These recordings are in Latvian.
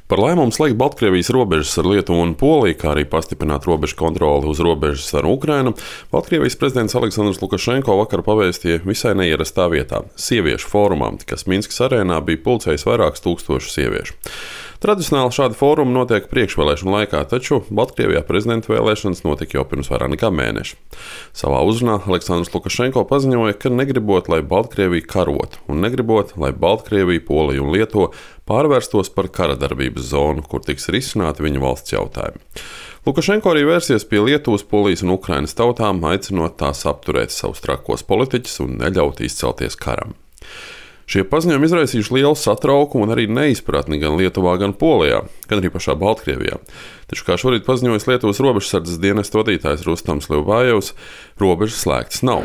Par lēmumu slēgt Baltkrievijas robežas ar Lietuvu un Poliju, kā arī pastiprināt robežu kontroli uz robežas ar Ukrainu, Baltkrievijas prezidents Aleksandrs Lukašenko vakar pavēstīja visai neierastā vietā - sieviešu fórumā, kas Minskas arēnā bija pulcējis vairākus tūkstošus sieviešu. Tradicionāli šādi fórumi notiek priekšvēlēšanu laikā, taču Baltkrievijā prezidenta vēlēšanas notika jau pirms vairāk nekā mēneša. Savā uzrunā Aleksandrs Lukašenko paziņoja, ka negribot, lai Baltkrievija karotu, un negribot, lai Baltkrievija, Polija un Lietuva pārvērstos par kara darbības zonu, kur tiks risināti viņa valsts jautājumi. Lukašenko arī vērsies pie Lietuvas, Polijas un Ukrainas tautām, aicinot tās apturēt savus trakos politiķus un neļaut izcelties karam. Šie paziņojumi izraisījuši lielu satraukumu un arī neizpratni gan Lietuvā, gan Polijā, gan arī pašā Baltkrievijā. Taču, kā šorīt paziņojis Lietuvas robežsardzes dienesta vadītājs Rustams Liubājevs, robežas slēgtas nav.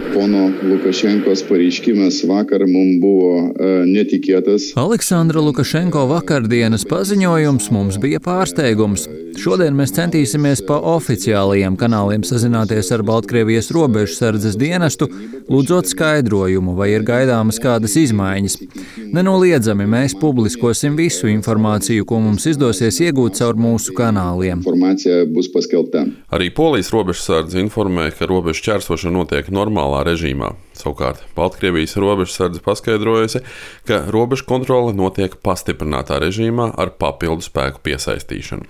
Aleksandra Lukašenko vakardienas paziņojums mums bija pārsteigums. Šodien mēs centīsimies pa oficiālajiem kanāliem sazināties ar Baltkrievijas robežsardzes dienestu, lūdzot skaidrojumu, vai ir gaidāmas kādas izmaiņas. Nenoliedzami mēs publiskosim visu informāciju, ko mums izdosies iegūt caur mūsu kanāliem. Arī Polijas robežsardze informē, ka robežu šķērsošana notiek normālā režīmā. Savukārt Baltkrievijas robežsardze paskaidrojusi, ka robežu kontrole notiek pastiprinātā režīmā ar papildu spēku piesaistīšanu.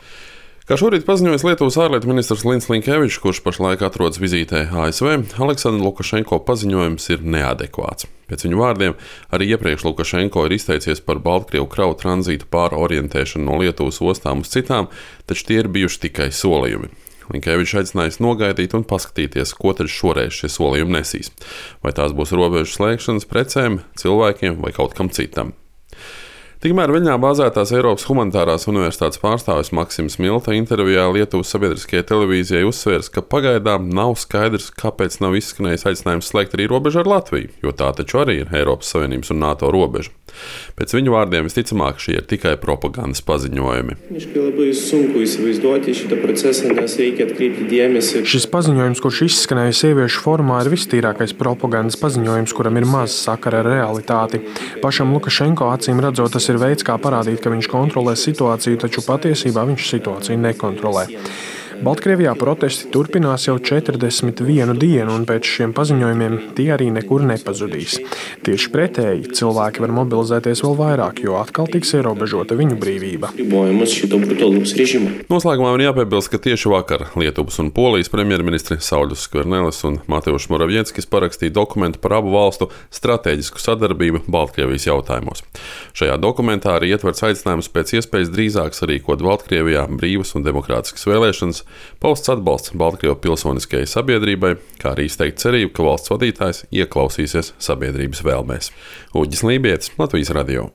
Kā šorīt paziņojis Lietuvas ārlietu ministrs Lins Linkevičs, kurš pašlaik atrodas vizītē ASV, Aleksandra Lukašenko paziņojums ir neadekvāts. Pēc viņa vārdiem, arī iepriekš Lukašenko ir izteicies par Baltkrievu kravu tranzītu pārorientēšanu no Lietuvas ostām uz citām, taču tie ir bijuši tikai solījumi. Linkevičs aicinājis nogaidīt un paskatīties, ko tad šoreiz šie solījumi nesīs. Vai tās būs robežu slēgšanas precēm, cilvēkiem vai kaut kam citam. Tikmēr Viļņā bāzētās Eiropas humanitārās universitātes pārstāvis Maksims Milta intervijā Lietuvas sabiedriskajai televīzijai uzsvērs, ka pagaidām nav skaidrs, kāpēc nav izskanējis aicinājums slēgt arī robežu ar Latviju, jo tā taču arī ir Eiropas Savienības un NATO robeža. Pēc viņu vārdiem visticamāk šie ir tikai propagandas paziņojumi. Šis paziņojums, kurš izskanēja sieviešu formā, ir vistīrākais propagandas paziņojums, kuram ir maz sakara ar realitāti. Pašam Lukašenko acīm redzot, tas ir veids, kā parādīt, ka viņš kontrolē situāciju, taču patiesībā viņš situāciju nekontrolē. Baltkrievijā protesti turpinās jau 41 dienu, un pēc šiem paziņojumiem tie arī nekur nepazudīs. Tieši pretēji, cilvēki var mobilizēties vēl vairāk, jo atkal tiks ierobežota viņu brīvība. Noslēgumā man jāpiebilst, ka tieši vakar Lietuvas un Polijas premjerministri Sauļus Skvernelis un Mateušs Moravieckis parakstīja dokumentu par abu valstu stratēģisku sadarbību Baltkrievijas jautājumos. Šajā dokumentā arī ietverts aicinājums pēc iespējas drīzāk sarīkot Baltkrievijā brīvas un demokrātiskas vēlēšanas, pausts atbalsts Baltkrievu pilsoniskajai sabiedrībai, kā arī izteikt cerību, ka valsts vadītājs ieklausīsies sabiedrības vēlmēs. Uģis Lībietis, Latvijas radio.